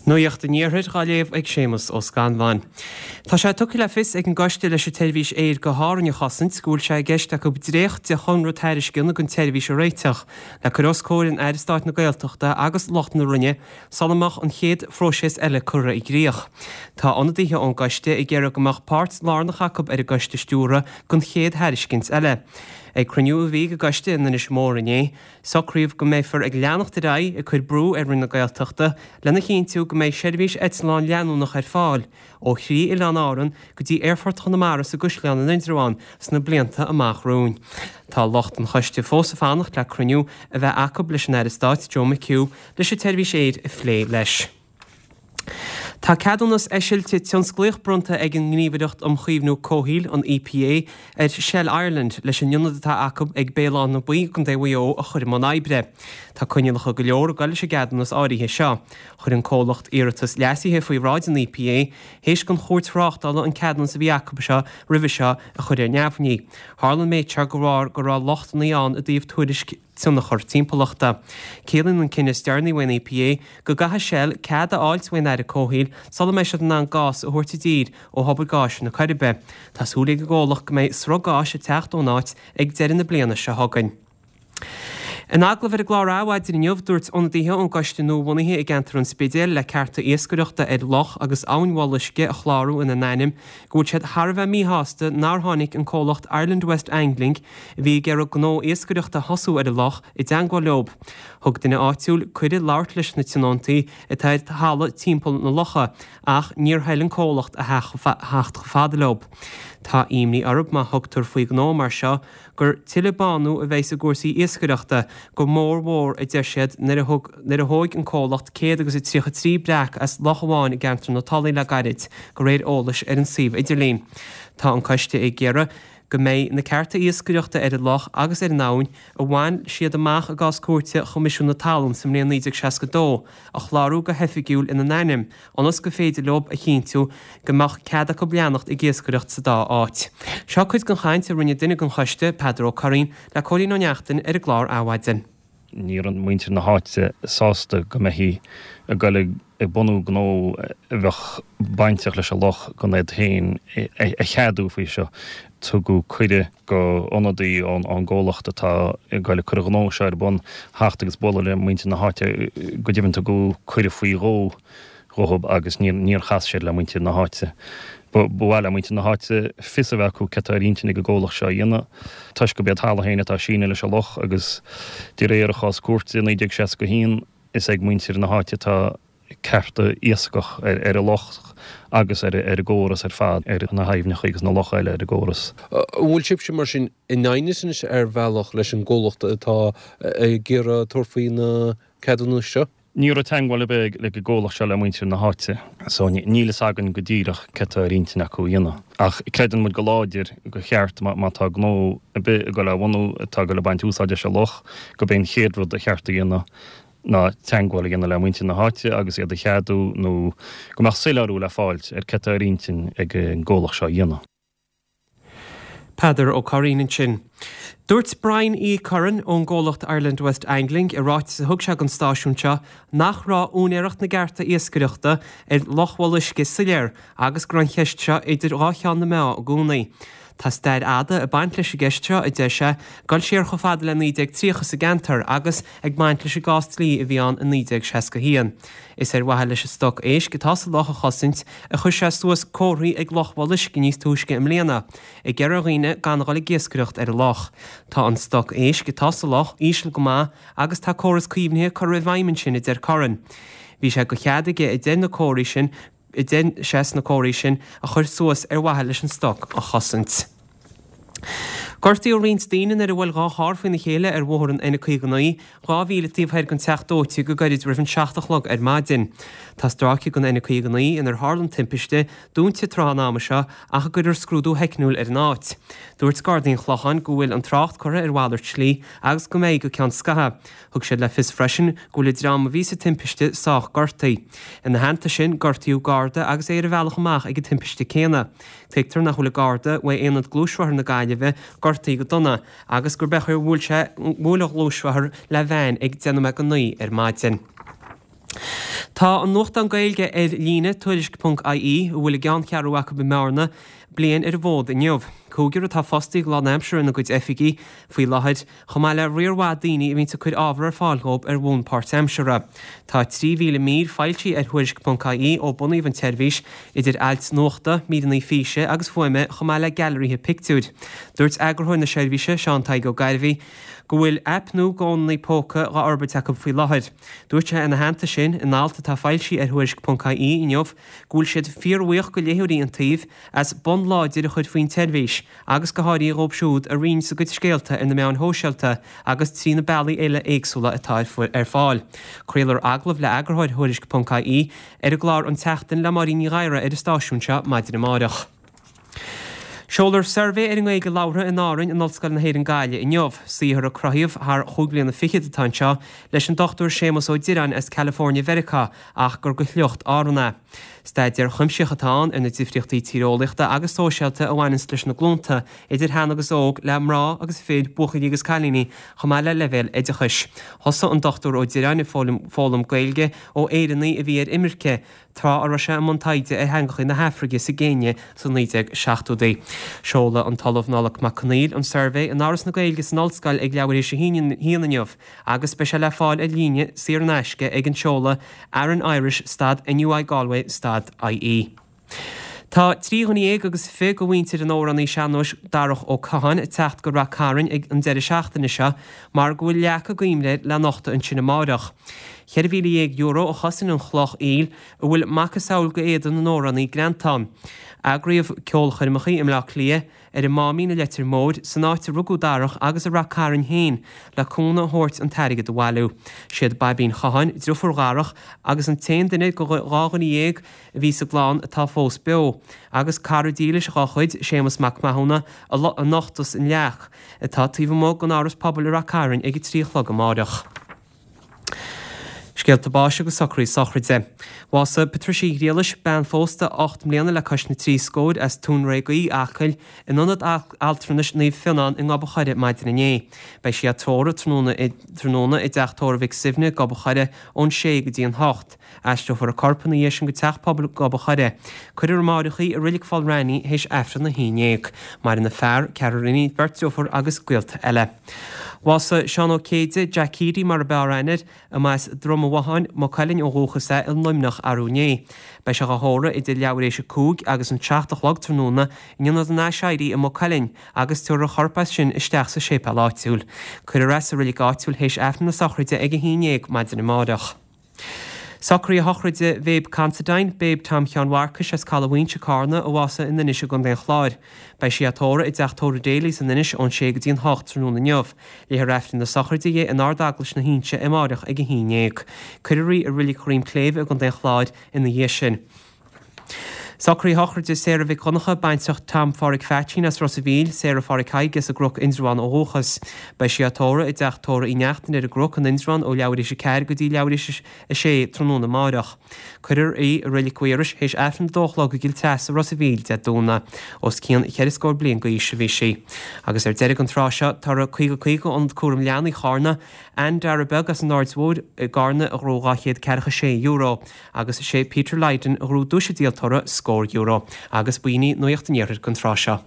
Nuacht an Iarthair dhá léamh ag Séamus Ó Scanláin. Tá sé tugtha le fios ag an gcoiste leis an tseirbhís aeir go hÁrainn a chosaint go bhfuil sé i gceist acu dréacht de chonradh tairisceana don tseirbhís a réiteach le cur os comhair an Aire Stáit na Gaeltachta agus lucht na Roinne sula mbeadh an chéad phróiseas eile curtha i gcrích. Tá ionadaithe ón gcoiste ag iarraidh go mbeadh páirt lárnach acu ar an gcoiste stiúrtha don chéad thairiscint eile. Ag cruinniú a bhí ag an gcoiste in Inis Mór inné, Socraíodh go mbeifear ag leanacht ar aghaidh ag cur brú ar Roinn na Gaeltachta lena chinntiú go mbeidh seirbhís eitleán leanúnach ar fáil ó thrí oileán Árann go dtí Aerfort Chonamara sa gCaisleán in Indreabhán sna blianta amach romhainn. Tá lucht an choiste fós ag fanacht le cruinniú a bheith acu leis an Aire Stáit Joe McHugh leis an tseirbhís aeir a phlé leis. Tá ceadúnas eisilte tionsclaíoch bronnta ag an nGníomhaireacht um Chaomhnú Comhshaoil, an EPA, ar Shell Ireland leis an ionad atá acu ag Béal Átha na Buí i gContae Mhaigh Eo a chur i mbun oibre. Tá coinníollacha go leor ag goil leis an gceadúnas áirithe seo. Chuir an comhlacht iarratas leasaithe faoi bhráid an EPA théis don Chúirt Thráchtála an ceadúnas a bhí acu seo roimhe seo a chur ar neamhní. Tharla an méid seo de bharr go raibh lochtanna ann i dtaobh tuairisc tionchar timpeallachta. Ciallaíonn an cinneadh is deireanaí uaidh an EPA go gcaithfidh Shell cead a fháilt uaidh an Aire Comhshaoil sula mbeidh siad in ann gás a thabhairt i dtír ó thobar gáis na Coiribe. Tá súil ag an gcomhlacht go mbeidh sruth gáis ag teacht ón áit ag deireadh na bliana seo chugainn. In agallamh ar an gclár Adhmhaidin inniu, dúirt ionadaithe ón gcoiste nuabhunaithe i gceantar an Spidéil le cearta iascaireachta ar Loch agus Abhainn Bholuisce a chlárú ina n-ainm go bhfuil siad thar a bheith míshásta nár tháinig an comhlacht Ireland West Angling a bhí ag iarraidh gnó iascaireachta a thosú ar an loch, i dteangmháil leo. Thug duine áitiúil cuireadh labhairt leis na tionóntaí atá ar thalamh timpeall na locha ach níor thoil an comhlacht a theacht chomh fada leo. Tá imní orthu má thugtar faoi ghnó mar seo gur tuilleadh bánú a bheidh i gcúrsaí iascaireachta, go mór mhór a deir siad nuair a thug nuair a thóig an comhlacht 133 breac as loch amháin i gceantar na Tulaí le gairid, de réir eolais ar an suíomh idirlín. Tá an coiste ag iarraidh go mbeidh na cearta iascaireachta ar an loch agus ar an abhainn, a bhain siad amach i gcás cúirte Choimisiún na Talún sa mbliain 1962, a chlárú go hoifigiúil ina n-ainm, ionas gur féidir leo a chinntiú go mbeadh cead acu leanacht ag iascaireacht sa dá áit. Seo cuid den chaint a rinne duine den choiste, Peadar Ó Curraoin, le Cóilín Ó Neachtain ar an gclár Adhmhaidin. Ní raibh muintir na háite sásta go mbeifí ag goil ag bunú gnó a bheadh bainteach leis an loch gan iad féin a cheadú faoi seo. Tugadh cuireadh go ionadaí ón gcomhlacht atá ag goil ag cur an ghnó seo ar bun theacht agus bualadh le muintir na háite. Go deimhin tugadh cuireadh faoi dhó dhóibh agus níor chas siad le muintir na háite. Ba mhaith le muintir na háite fios a bheith acu céard atá ar intinn ag an gcomhlacht seo a dhéanamh toisc gurb é an talamh féin atá ag síneadh leis an loch agus de réir an chás cúirte i 1961 is ag muintir na háite atá cearta iascach ar an loch agus ar an gcóras ar fad, ar na haibhneacha agus na locha eile ar an gcóras. An bhfuil sibhse mar sin in aighneas anois ar bhealach leis an gcomhlacht atá ag iarraidh tabhairt faoi na ceadúnais seo? Ní raibh teagmháil ar bith ag an gcomhlacht seo le muintir na háite so níl fhios againn go díreach céard atá ar intinn acu a dhéanamh. Ach creideann muid go láidir gur cheart má tá gnó ar bith ag dul á bhunú atá ag dul ag baint úsáid as an loch gurb é an chéad rud a cheart a dhéanamh ná teagmháil a dhéanamh le muintir na háite agus iad a cheadú nó go mbeadh soiléiriú le fáilt ar céard atá ar intinn ag an gcomhlacht seo a dhéanamh. Peadar Ó Curraoin ansin. Dúirt Brian E. Curran ón gcomhlacht Ireland West Angling i ráiteas a thug sé don stáisiún seo nach raibh úinéireacht na gcearta iascaireachta ar Loch Bholuisce soiléir agus go raibh an cheist seo idir dhá cheann na meá i gcónaí. Tá stair fhada ag baint leis an gceist seo, a deir sé, ag dul siar chomh fada le 1930 sa gceantar agus ag baint leis an gcás dlí a bhí ann i 1961. Is ar mhaithe leis an stoc éisc atá sa loch a chosaint a chuir sé suas comharthaí ag Loch Bholuisce níos túisce i mbliana, ag iarraidh ar dhaoine gan a dhul ag iascaireacht ar an loch. Tá an stoc éisc atá sa loch íseal go maith agus tá córas caomhnaithe curtha i bhfeidhm ansin, a deir Curran. Bhí sé de chead aige a deir na comharthaí sin, a deir sé, sna comharthaí sin a chur suas ar mhaithe leis an stoc a chosaint. Gortaíodh roinnt daoine nuair a bhuail 2 charr faoina chéile ar bhóthar an N59, 2 mhíle taobh thoir den Teach Dóite go gairid roimh an 7 a chlog ar maidin. Tá stráice den N59 inar tharla an timpiste dúnta tráth an ama seo ach a gcuirfear scrúdú theicniúil ar an áit. Dúirt Gardaí an Chlocháin go bhfuil an trácht curtha ar mhalairt slí agus go mbeidh go ceann scaithimh. Thug siad le fios freisin go bhfuil an dream a bhí sa timpiste sách gortaithe. Ina theannta sin, gortaíodh Garda agus é ar a bhealach amach ag an timpiste céanna. Tuigtear nach bhfuil an Garda, uaidh Aonad Gluaisrothar na Gaillimhe, gortaithe go dona agus gurb é a bhuail sé, bhuail a ghluaisrothar le veain ag 9:50 ar maidin. Tá an nuachtán Gaeilge ar líne, Tuairisc ponc ie, a bhfuil a gceanncheathrú acu i mBearna, bliain ar an bhfód inniu. Cúigear atá fostaithe go lánaimseartha ina gcuid oifigí faoi láthair, chomh maith le riar mhaith daoine a bhíonns ag cur ábhar ar fáil dhóibh ar bhonn páirtaimseartha. Tá 3,000 mír foilsithe ar Thuairisc ponc ie ó bunaíodh an tseirbhís, idir ailt nuachta, míreanna físe agus fuaime chomh maith le gailearaithe pictiúir. Dúirt eagarthóir na seirbhíse, Seán Tadhg Ó Gairbhí, go bhfuil aip nua do fhónanna póca dhá fhorbairt acu faoi láthair. Dúirt sé ina theannta sin, in alt atá foilsithe ar Thuairisc ponc ie inniu, go bhfuil siad fíorbhuíoch go léitheoirí an tsuímh as bonn láidir a chur faoin tseirbhís agus go háirithe dhóibh siúd a roinneanns a gcuid scéalta ar na meáin shóisialta agus trí na bealaí eile éagsúla atá ar fáil. Craolfar agallamh le eagarthóir Thuairisc ponc ie ar an gclár An tSeachtain le Máirín Ní Ghadhra ar an stáisiún seo maidin amáireach. Seolfar suirbhé ar an nGaeilge labhartha in Árainn in Ollscoil na hÉireann Gaillimh inniu. Saothar a cruthaíodh thar chúig bliana fichead atá anseo leis an Dr Séamus Ó Direáin as California Mheiriceá ach gur de shliocht Árann é. Staidéar cuimsitheach atá ann ar na difríochtaí tíreolaíochta agus sóisialta a bhaineanns leis na glúnta, idir shean agus óg, le mná agus fir, buachaillí agus cailíní, chomh maith le leibhéil oideachais. Thosaigh an Dr Ó Direáin ag foghlaim Gaeilge ó Éireannaigh a bhí ar imirce, tráth a raibh sé i mbun taighde ar theangacha na hAfraice sa gCéinia sna 1970idí. Seolfaidh an tOllamh Nollaig Mac Conaill an suirbhé in Áras na Gaeilge san Ollscoil ag leathuair théis a haon inniu agus beidh sé le fáil ar líne saor in aisce ag an seoladh aranirish stad NUI Galway stad ie. Tá 23 dhuine agus de mhuintir an amhránaí sean-nóis Darach Ó Catháin ag teacht go Rath Cairn ag an deireadh seachtaine seo mar go bhfuil leac i gcuimhne air le nochtadh ansin amáireach. €14,000 a chosain an chloch aoil a bhfuil macasamhail d'éadan an amhránaí greanta ann. Eagraíodh ceolchoirmeacha i mBleá Cliath, ar an Máimín i Leitir Móir, san áit a rugadh Darach agus i Rath Cairn féin le cúnamh a thabhairt an t-airgead a bhailiú. Siad Baibín Chatháin, driofúr Dharach agus an t-aon duine de dhá dhuine dhéag a bhí sa gclann atá fós beo, agus cara dílis dhá chuid, Séamus Mac Mathúna, a nochtfas an leac, atá taobh amuigh den Áras Pobail i Rath Cairn ag a 3 a chlog amáireach. Scéalta báis agus socruithe sochraide. Bhásaigh Patricia Uí Ghriallais, bean phósta 8 mbliana le cois na dtrí scóir as Tóin Réagaí, Acaill, in Ionad Altranais Naomh Fionnán i nGob an Choire maidin inné. Beidh sí á tórramh tráthnóna tráthnóna i dTeach Tórraimh Mhic Suibhne, Gob an Choire, ón 6 go dtí an 8. Aistreofar a corp ina dhiaidh sin go Teach Pobail Gob an Choire. Cuirfear amáireach í i Reilig Pholl Raithní théis Aifreann a haon dhéag. Maireann a fear, ceathrar iníon, beirt driofúr agus gaolta eile. Bhásaigh Seán Ó Céide, Jack Keady mar a b'fhearr aithne air, a mba as Drom an Bhotháin, Maigh Cuilinn ó dhúchas é i Luimneach arú inné. Beidh sé dhá thórramh idir leathuair éis a 5 agus an 7 a chlog tráthnóna in Ionad an Aiséirí i Maigh Cuilinn agus tabharfar a chorp as sin isteach sa séipéal áitiúil. Cuirfear é sa reilig áitiúil théis Aifreann na sochraide ag 11 maidin amáireach. Socruithe sochraide Bhabe Considine, Babe Tom Sheáin Mharcais as Caladh Mhaínse, Cárna, a bhásaigh in Inis i gContae an Chláir. Beidh sí á tórramh i dTeach Tórraimh Daly's in Inis ón 6 go dtí an 8 tráthnóna inniu. Léifear Aifreann na sochraide di in Ard-Eaglais na hInse amáireach ag 11. Cuirfear í i Reilig Dhroim Cléibhe i gContae an Chláir ina dhiaidh sin. Socruithe sochraide Sarah Mhic Dhonncha, baintreach Tom Pháraic Pheaitsín as Ros a' Mhíl, Sarah Pháraic Thaidhg as an gCnoc, Indreabhán ó dhúchas. Beidh sí á tórramh i dteach tórraimh Uí Neachtain ar an gCnoc in Indreabhán ó leathuair théis 4 go dtí leathuair théis 6 tráthnóna amáireach. Cuirfear í i Reilig Mhaorais théis Aifreann a dó a chlog i gCill Treasa, Ros a' Mhíl, Dé Domhnaigh. Os cionn cheithre scór bliain d'aois a bhí sí. Agus ar deireadh an tráth seo, toradh 50 50 Ionad Cúram Leanaí Chárna, Anne Dara Beag as an Aird Mhóir i gCárna a ghnóthaigh €246. Agus sé Peter Lydon a ghnóthaigh duais an díoltóra, scór euro. Agus b'in í Nuacht an Iarthair don tráth seo.